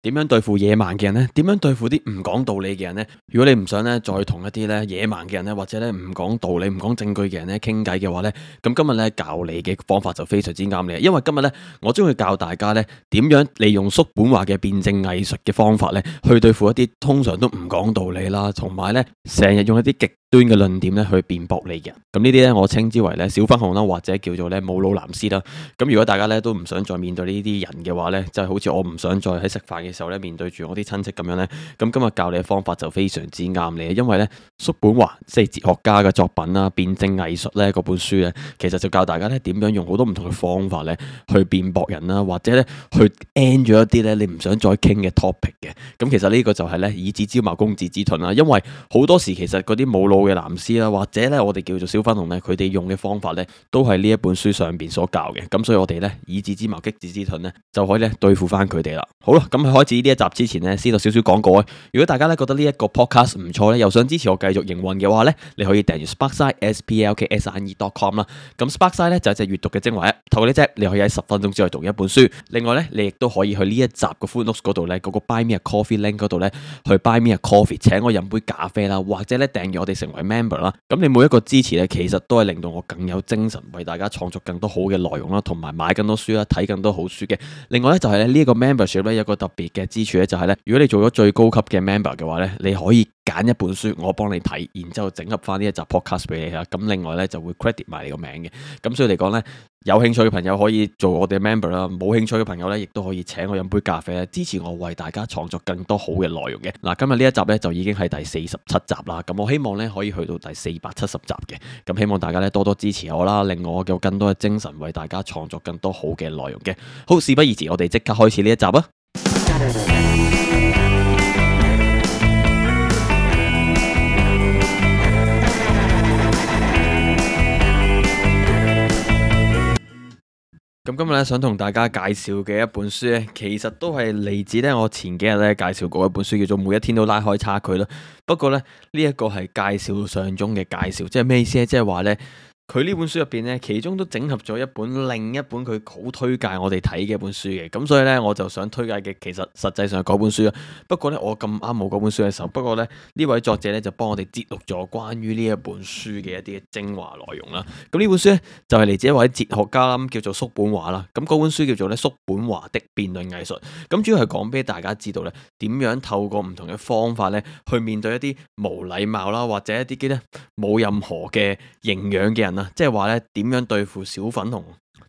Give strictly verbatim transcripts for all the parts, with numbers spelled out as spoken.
點樣對付野蠻嘅人呢？點樣對付啲唔講道理嘅人呢？如果你唔想咧再同一啲咧野蠻嘅人咧，或者咧唔講道理、唔講證據嘅人咧傾偈嘅話咧，咁今日咧教你嘅方法就非常之啱你，因為今日咧我將會教大家咧點樣利用叔本華嘅辯證藝術嘅方法咧，去對付一啲通常都唔講道理啦，同埋咧成日用一啲極端嘅論點咧去辯駁你嘅人。咁呢啲咧我稱之為咧小粉紅啦，或者叫做咧冇腦藍絲啦。咁如果大家咧都唔想再面對呢啲人嘅話咧，就係好似我唔想再喺食飯嘅時候咧面對住我啲親戚咁樣咧，咁今日教你嘅方法就非常之啱你，因為咧叔本華即係哲學家嘅作品啦，辯證藝術咧嗰本書咧，其實就教大家咧點樣用好多唔同嘅方法咧去辯駁人啦，或者咧去 end 咗一啲咧你唔想再傾嘅 topic 嘅。咁其實呢個就係咧以子之矛攻子之盾啦，因為好多時其實嗰啲冇腦嘅藍絲啦，或者咧我哋叫做小粉紅咧，佢哋用嘅方法咧都係呢一本書上邊所教嘅。咁所以我哋咧以子之矛擊子之盾咧就可以咧對付翻佢哋啦。好啦，咁喺開始呢一集之前咧，先到少少廣告啊。如果大家咧覺得呢一個 podcast 唔錯咧，又想支持我繼續營運嘅話咧，你可以訂閱 Sparkside S P L K S I D E dot com 啦。咁 Sparkside 咧就係隻閱讀嘅精華，透過呢隻你可以喺十分鐘之內讀一本書。另外咧，你亦都可以去呢一集嘅 Footnotes 嗰度咧，嗰個 Buy Me a Coffee link 嗰度咧，去 Buy Me a Coffee 請我飲杯咖啡啦，或者咧訂閱我哋成為 member 啦。咁你每一個支持咧，其實都係令到我更有精神，為大家創作更多好嘅內容啦，同埋買更多書啦，睇更多好書嘅。另外咧就係咧呢一個 membership 咧有個特別嘅之處咧，就係咧如果你做咗最高級嘅 member 嘅話咧，你可以揀一本書，我幫你睇，然之後整合翻呢一集 podcast 俾你啦。咁另外咧就會 credit 埋你個名嘅。咁所以嚟講咧，有興趣嘅朋友可以做我哋 member 啦，冇興趣嘅朋友咧，亦都可以請我飲杯咖啡咧，支持我為大家創作更多好嘅內容嘅。嗱，今日呢一集咧就已經係第四十七集啦。咁我希望咧可以去到第四百七十集嘅。咁希望大家咧多多支持我啦，令我有更多嘅精神為大家創作更多好嘅內容嘅。好，事不宜遲，我哋即刻開始呢一集啊！咁今日咧想同大家介紹嘅一本書咧，其實都係嚟自咧我前幾日咧介紹過一本書，叫做《每一天都拉開差距》啦。不過咧呢一個係介紹上中嘅介紹，即係咩意思咧？即係話咧。佢呢本書入邊咧，其中都整合咗一本另一本佢好推介我哋睇嘅一本書嘅，咁所以咧我就想推介嘅其實實際上係嗰本書啊。不過咧我咁啱冇嗰本書嘅時候，不過咧呢位作者咧就幫我哋節錄咗關於呢一本書嘅一啲精華內容啦。咁呢本書咧就係嚟自一位哲學家啦，叫做叔本華啦。咁嗰本書叫做咧叔本華的辯論藝術。咁主要係講俾大家知道咧，點樣透過唔同嘅方法咧去面對一啲無禮貌啦，或者一啲嘅咧冇任何嘅營養嘅人。即係話咧，點樣對付小粉紅？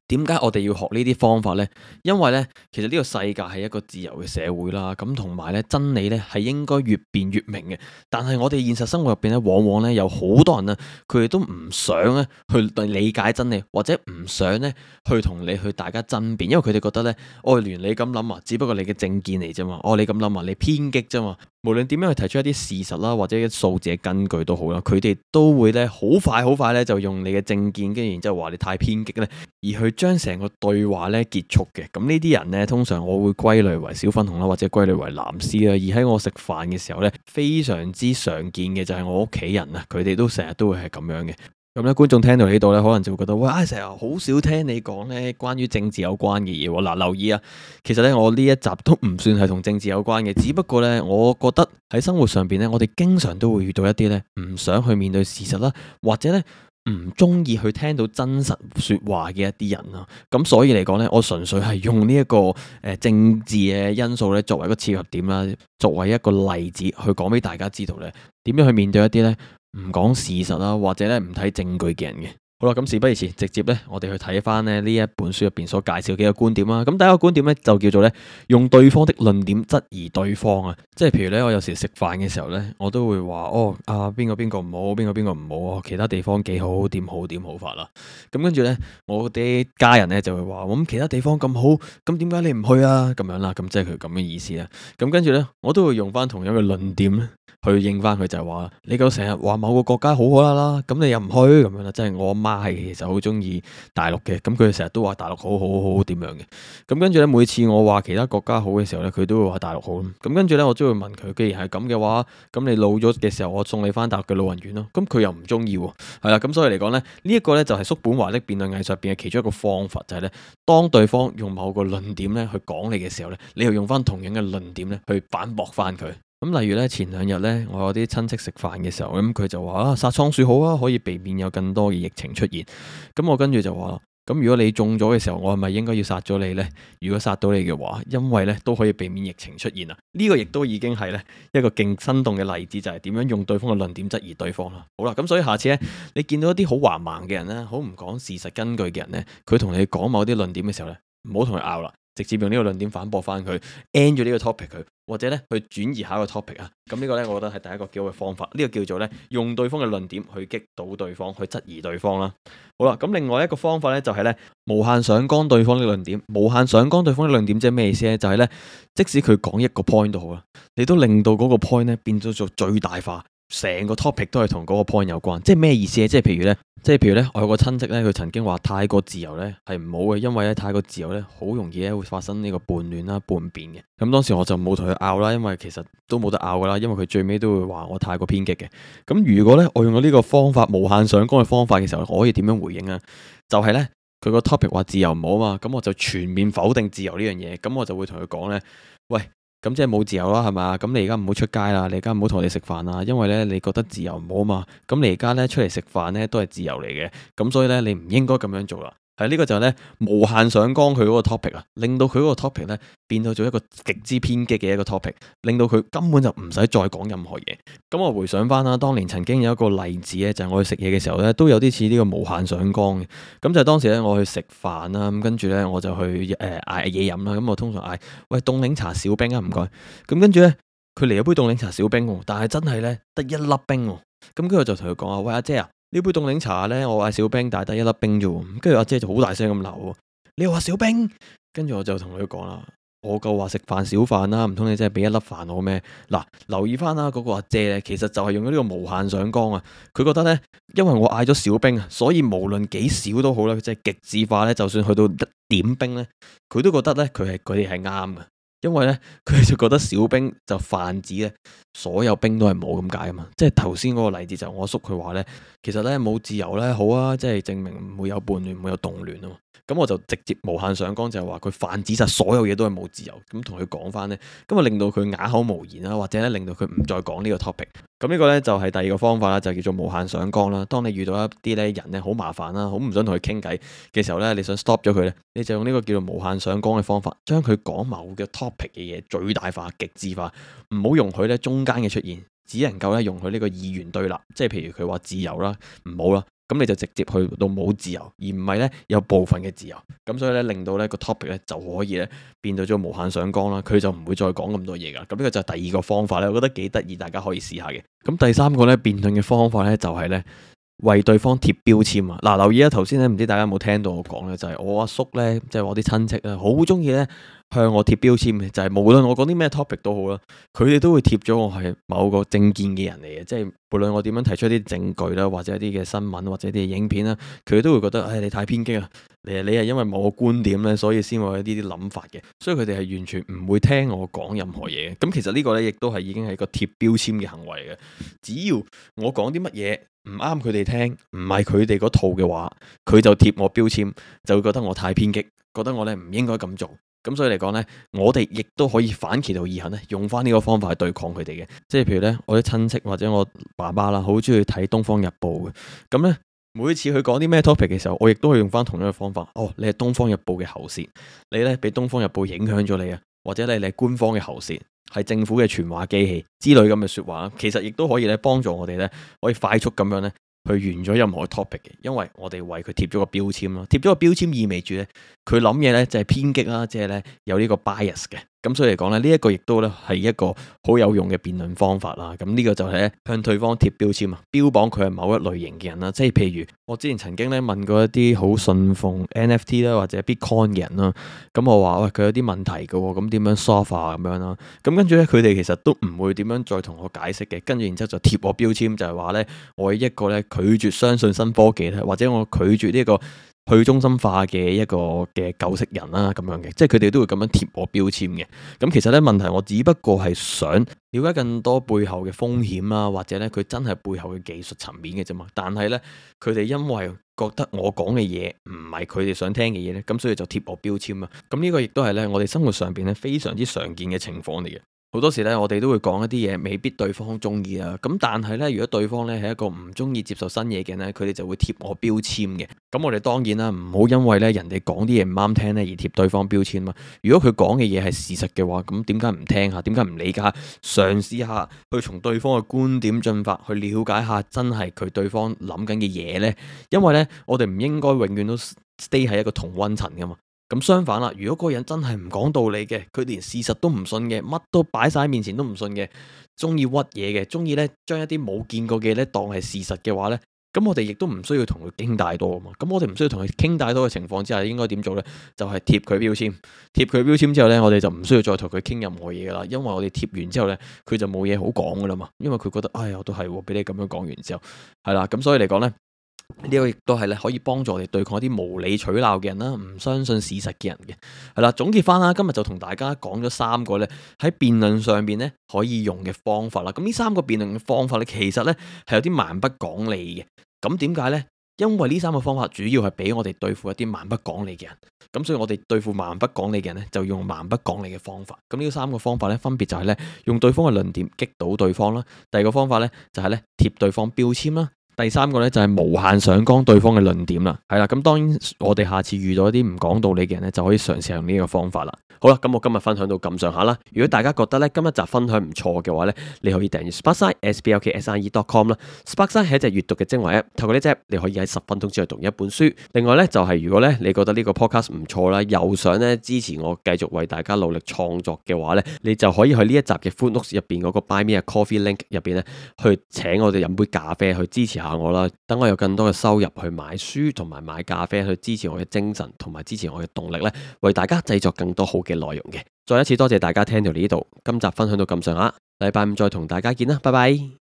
點解我哋要學呢啲方法呢？因為呢，其實呢個世界係一個自由嘅社會啦，咁同埋咧真理咧係應該越辯越明嘅。但係我哋現實生活入邊咧，往往咧有好多人啊，佢哋都唔想咧去理解真理，或者唔想咧去同你去大家爭辯，因為佢哋覺得咧，哦，連你咁諗啊，只不過你嘅政見嚟啫嘛，哦，你咁諗啊，你偏激啫嘛。無論點樣去提出一啲事實啦，或者一啲數字嘅根據都好啦，佢哋都會咧好快好快咧就用你嘅政見，跟住然之後話你太偏激咧，而去將成個對話咧結束嘅。咁呢啲人咧，通常我會歸類為小粉紅啦，或者歸類為藍絲啦。而喺我食飯嘅時候咧，非常之常見嘅就係我屋企人啊，佢哋都成日都會係咁樣嘅。咁咧，觀眾聽到呢度咧，可能就會覺得，喂，成日好少聽你講咧關於政治有關嘅嘢。嗱，留意啊，其實咧我呢一集都唔算係同政治有關嘅，只不過咧，我覺得喺生活上邊咧，我哋經常都會遇到一啲咧唔想去面對事實啦，或者咧唔中意去聽到真實說話嘅一啲人啊。咁所以嚟講咧，我純粹係用呢一個誒政治嘅因素咧作為一個切入點啦，作為一個例子去講俾大家知道咧，點樣去面對一啲咧唔講事實啦，或者咧唔睇證據嘅人嘅。好啦，咁事不宜遲，直接咧我哋去睇翻咧呢一本書入邊所介紹嘅一個觀點啦。咁第一個觀點咧就叫做咧用對方的論點質疑對方啊。即係譬如咧，我有時食飯嘅時候咧，我都會話哦啊邊個邊個唔好，邊個邊個唔好，其他地方幾好，點好點好法啦。咁跟住咧，我啲家人咧就會話，咁其他地方咁好，咁點解你唔去啊？咁樣啦，咁即係佢咁嘅意思啦。咁跟住咧，我都會用翻同樣嘅論點咧去應翻佢，就係話你夠成日話某個國家好好啦啦，咁你又唔去咁樣啦，即係我阿媽係其實好中意大陸嘅，咁佢成日都話大陸好好好好點樣嘅。咁跟住咧，每次我話其他國家好嘅時候咧，佢都會話大陸好。咁跟住咧，我都會問佢，既然係咁嘅話，咁你老咗嘅時候，我送你翻大陸嘅老人院咯。咁佢又唔中意喎，係啦。咁所以嚟講咧，呢、這、一個咧就係叔本華的辯論藝術入邊嘅其中一個方法，就係、是、咧，當對方用某個論點咧去講你嘅時候咧，你又用翻同樣嘅論點咧去反駁翻佢。咁例如咧，前兩日咧，我有啲親戚食飯嘅時候，咁佢就話啊，殺倉鼠好啊，可以避免有更多嘅疫情出現。咁我跟住就話，咁如果你中咗嘅時候，我係咪應該要殺咗你呢？如果殺到你嘅話，因為咧都可以避免疫情出現啊。呢個亦都已經係咧一個勁生動嘅例子，就係點樣用對方嘅論點質疑對方啦。好啦，咁所以下次咧，你見到一啲好橫蠻嘅人咧，好唔講事實根據嘅人咧，佢同你講某啲論點嘅時候咧，唔好同佢拗啦。直接用呢個論點反駁翻佢 end 咗呢個 topic 佢，或者咧去轉移下一個 topic 啊。咁呢個咧，我覺得係第一個幾好嘅方法。呢個叫做咧用對方嘅論點去擊倒對方，去質疑對方啦。好啦，咁另外一個方法咧就係咧無限上綱對方嘅論點。無限上綱對方嘅論點即係咩意思咧？就係咧，即使佢講一個 point 都好啦，你都令到嗰個 point 咧變咗做最大化。成個 topic 都係同嗰個 point 有關，即係咩意思咧？即係譬如咧，即係譬如咧，我有個親戚咧，佢曾經話太過自由咧係唔好嘅，因為咧太過自由咧好容易咧會發生呢個叛亂啦、叛變嘅。咁當時我就冇同佢拗啦，因為其實都冇得拗噶啦，因為佢最尾都會話我太過偏激嘅。咁如果咧我用咗呢個方法無限上綱嘅方法嘅時候，我可以點樣回應啊？就係咧佢個 topic 話自由唔好啊嘛，咁我就全面否定自由呢樣嘢，咁我就會同佢講咧，喂。咁即係冇自由啦，係嘛？咁你而家唔好出街啦，你而家唔好同我哋食飯啦，因為咧你覺得自由唔好啊嘛。咁你而家咧出嚟食飯咧都係自由嚟嘅，咁所以咧你唔應該咁樣做啦。係呢個就係咧無限上綱佢嗰個 topic 啊，令到佢嗰個 topic 咧變到做一個極之偏激嘅一個 topic，令到佢根本就唔使再講任何嘢。咁我回想翻啦，當年曾經有一個例子咧，就係我去食嘢嘅時候咧，都有啲似呢個無限上綱嘅。咁就係當時咧我去食飯啦，咁跟住咧我就去誒嗌嘢飲啦。咁我通常嗌喂凍檸茶少冰啊，唔該。咁跟住咧佢嚟咗杯凍檸茶少冰，但係真係咧得一粒冰。咁跟住我就同佢講啊，喂阿姐啊！呢杯凍檸茶咧，我嗌少冰，但係得一粒冰啫。跟住阿姐就好大聲咁鬧，你又話少冰？跟住我就同佢講啦，我夠話食飯少飯啦，唔通你真係俾一粒飯我咩？嗱，留意翻啦，嗰個阿姐咧，其實就係用咗呢個無限上綱啊。佢覺得咧，因為我嗌咗少冰啊，所以無論幾少都好啦，即係極致化咧，就算去到一點冰咧，佢都覺得咧，佢係佢哋係啱嘅。因為咧，佢就覺得少冰就泛指咧，所有冰都係冇咁解啊嘛。即係頭先嗰個例子就我叔佢話咧，其實咧冇自由咧好啊，即係證明唔會有叛亂，唔會有動亂啊嘛。咁我就直接無限上綱就係話佢泛指晒所有嘢都係冇自由，咁同佢講翻咧，咁啊令到佢啞口無言啦，或者咧令到佢唔再講呢個 topic。咁呢個咧就係第二個方法啦，就叫做無限上綱啦。當你遇到一啲咧人咧好麻煩啦，好唔想同佢傾偈嘅時候咧，你想 stop 咗佢咧，你就用呢個叫做無限上綱嘅方法，將佢講某個 topic 嘅嘢最大化、極致化，唔好容許咧中間嘅出現，只能夠咧容許呢個二元對立，即係譬如佢話自由啦，唔好啦。咁你就直接去到冇自由，而唔係咧有部分嘅自由。咁所以咧令到咧個 topic 咧就可以咧變到咗無限上綱啦，佢就唔會再講咁多嘢噶。咁呢個就係第二個方法咧，我覺得幾得意，大家可以試下嘅。咁第三個咧辯論嘅方法咧就係咧為對方貼標籤啊。嗱，留意啊，頭先咧唔知大家有冇聽到我講咧，就係我阿叔咧，即係我啲親戚啊，好中意咧向我貼標籤嘅，就係無論我講啲咩 topic 都好啦，佢哋都會貼咗我係某個政見嘅人嚟嘅，即係無論我點樣提出一啲證據啦，或者一啲嘅新聞或者一啲影片啦，佢哋都會覺得，唉，你太偏激啊，你你係因為某個觀點咧，所以先會有呢啲諗法嘅，所以佢哋係完全唔會聽我講任何嘢嘅。咁其實呢個咧亦都係已經係個貼標籤嘅行為嘅，只要我講啲乜嘢唔啱佢哋聽，唔係佢哋嗰套嘅話，佢就貼我標籤，就會覺得我太偏激，覺得我咧唔應該咁做。咁所以嚟講呢，我哋亦都可以反其道而行咧，用翻呢個方法去對抗佢哋嘅。即係譬如呢，我啲親戚或者我爸爸啦，好中意睇《東方日報》嘅。咁呢，每次佢講啲咩 topic 嘅時候，我亦都會用翻同樣嘅方法。哦，你係《東方日報》嘅喉舌，你呢俾《東方日報》影響咗你啊，或者你係官方嘅喉舌，係政府嘅傳話機器之類咁嘅說話，其實亦都可以咧幫助我哋呢，可以快速咁樣呢。去完咗任何 topic 嘅，因為我哋為佢貼咗個標籤咯，貼咗個標籤意味住咧，佢諗嘢咧就係偏激啦，即係咧有呢個 bias 嘅。咁所以嚟講咧，呢、這、一個亦都咧係一個好有用嘅辯論方法啦。咁呢個就係咧向對方貼標籤啊，標榜佢係某一類型嘅人啦。即係譬如我之前曾經咧問過一啲好信奉 N F T 啦或者 Bitcoin 嘅人啦，咁我話喂，佢有啲問題嘅，咁點樣 solve 啊咁樣啦。咁跟住咧佢哋其實都唔會點樣再同我解釋嘅，跟住然之後就貼我標籤，就係話咧我係一個咧拒絕相信新科技咧，或者我拒絕呢、這個。去中心化嘅一個嘅舊式人啦，咁樣嘅，即係佢哋都會咁樣貼我標籤嘅。咁其實咧問題，我只不過係想了解更多背後嘅風險啦，或者咧佢真係背後嘅技術層面嘅啫嘛。但係咧，佢哋因為覺得我講嘅嘢唔係佢哋想聽嘅嘢咧，咁所以就貼我標籤啊。咁呢個亦都係咧我哋生活上邊咧非常之常見嘅情況嚟嘅。好多時咧，我哋都會講一啲嘢，未必對方中意啊。咁但係咧，如果對方咧係一個唔中意接受新嘢嘅咧，佢哋就會貼我標籤嘅。咁我哋當然啦，唔好因為咧人哋講啲嘢唔啱聽咧而貼對方標籤嘛。如果佢講嘅嘢係事實嘅話，咁點解唔聽下？點解唔理解下？嘗試下去從對方嘅觀點進發，去了解下真係佢對方諗緊嘅嘢呢？因為咧，我哋唔應該永遠都 stay 喺一個同溫層噶嘛。咁相反啦，如果嗰個人真係唔講道理嘅，佢連事實都唔信嘅，乜都擺晒喺面前都唔信嘅，中意屈嘢嘅，中意咧將一啲冇見過嘅嘢咧當係事實嘅話咧，咁我哋亦都唔需要同佢傾太多啊嘛。咁我哋唔需要同佢傾太多嘅情況之下，應該點做咧？就係貼佢標籤，貼佢標籤之後咧，我哋就唔需要再同佢傾任何嘢噶啦，因為我哋貼完之後咧，佢就冇嘢好講噶啦嘛，因為佢覺得，哎呀，我都係俾你咁樣講完之後，係啦，咁所以嚟講咧。呢個亦都係咧可以幫助我哋對抗一啲無理取鬧嘅人啦，唔相信事實嘅人嘅。係啦，總結翻啦，今日就同大家講咗三個咧喺辯論上邊咧可以用嘅方法啦。咁呢三個辯論嘅方法咧，其實咧係有啲蠻不講理嘅。咁點解呢？因為呢三個方法主要係俾我哋對付一啲蠻不講理嘅人。咁所以我哋對付蠻不講理嘅人咧，就用蠻不講理嘅方法。咁呢三個方法咧，分別就係咧用對方嘅論點擊倒對方啦。第二個方法咧就係咧貼對方標籤啦。第三個咧就係無限上綱對方嘅論點啦，係啦，咁當然我哋下次遇到一啲唔講道理嘅人咧，就可以嘗試用呢個方法啦。好啦，咁我今日分享到咁上下啦。如果大家覺得咧今一集分享唔錯嘅話咧，你可以訂閱 Sparkside S B L K S I E dot com 啦。Sparkside 係一隻閱讀嘅精華 App， 透過呢隻 App 你可以喺十分鐘之內讀一本書。另外咧就係、是、如果咧你覺得呢個 podcast 唔錯啦，又想咧支持我繼續為大家努力創作嘅話咧，你就可以去呢一集嘅 Footnotes 入邊嗰個 Buy Me a Coffee link 入邊咧，去請我哋飲杯咖啡去支持下我啦。等我有更多嘅收入去買書同埋買咖啡，去支持我嘅精神同埋支持我嘅動力咧，為大家製作更多好嘅內容嘅。再一次多謝大家聽到呢度，今集分享到咁上下，禮拜五再同大家見啦，拜拜。